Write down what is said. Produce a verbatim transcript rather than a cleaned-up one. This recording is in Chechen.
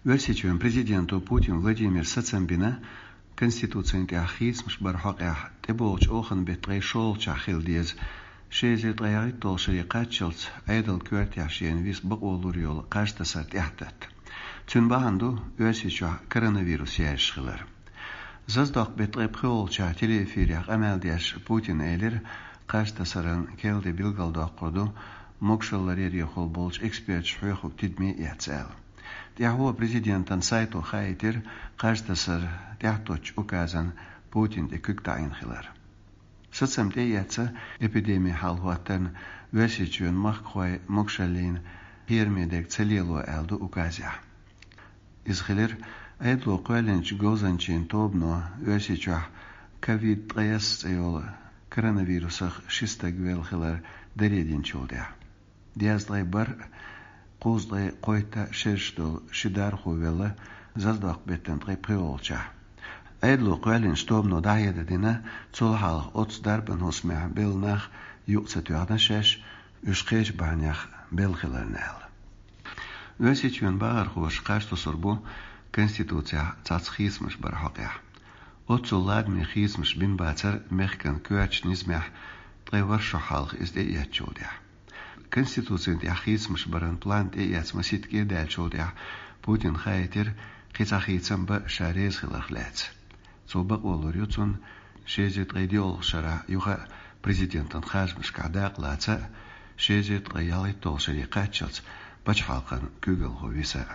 Оьрсийчоьнан президента Путин Владимира сацам бина, Конституцин тӀехь хийцамаш баран хьокъехь тӀебогӀучу охан беттан ткъе шолгӀачохь хила деза ши эзар ткъе ялхитталгӀачу шаре кхаччалц Ӏедалан коьртехь шена виса бакъо лур йолу кхаж тасар тӀехь татта. Цуьнан бахьана ду Оьрсийчохь коронавирус яьржаш хилар. Заздоккху беттан ткъе пхоьалгӀачохь телеэфирехь къамел деш Путина элира, кхаж тасаран керла де билгалдоккхур ду могушалла ларъярехула болчу эксперташа хьоьхург тидаме эцна аьлла. ТӀаьхьо президентан сайто хаийтира кхаж тасар тӀехь тоттучу указан Путина тӀе куьг таӀийна хилар. Сацам тӀеэцна эпидеми хьалахӀоттарна Оьрсийчоьнан махкахой могушаллина кхераме дерг ца лело аьлла ду указехь. Иза хилира Ӏедало кхоьллинчу говзанчийн тобано Оьрсийчохь ковид ткъе исс цӀе йолу коронавирусах ши стаг велла хилар даре динчул тӀаьхьа. Дезткъе бархӀ, кхузткъе кхойтта шераш долу ши дархо велла заздоккху беттан ткъе пхоьалгӀачохь. Ӏедало кхоьллинчу тобано дӀахьедар дина, цул хьалха оццу дарбан хӀусамехь белла нах юкъа ца тоьхна шаьш, уьш кхечу бахьанех белла хиларна аьлла. Оьрсийчоьнан бахархоша кхаж тосур бу Конституцехь цхьацца хийцамаш баран хьокъехь. Оццул ладаме хийцамаш бина бацара мехкан коьртачу низамехь ткъе ворхӀ шо хьалха иза тӀеэцначул тӀаьхьа. Конституцин тӀехь хийцамаш баран план тӀеэцна масийтта кӀира даьллачул тӀаьхьа Путина хаийтира кхин цхьа хийцам бан ша реза хиларх лаьцна. Цо бакъо лур ю цунна ши эзар ткъе диъалгӀачу шарахь юха а президентан харжамашкахь дакъа лаца а, ши эзар ткъе ялхитталгӀачу шаре кхаччалц пачхьалкхан куьйгалхо виса а.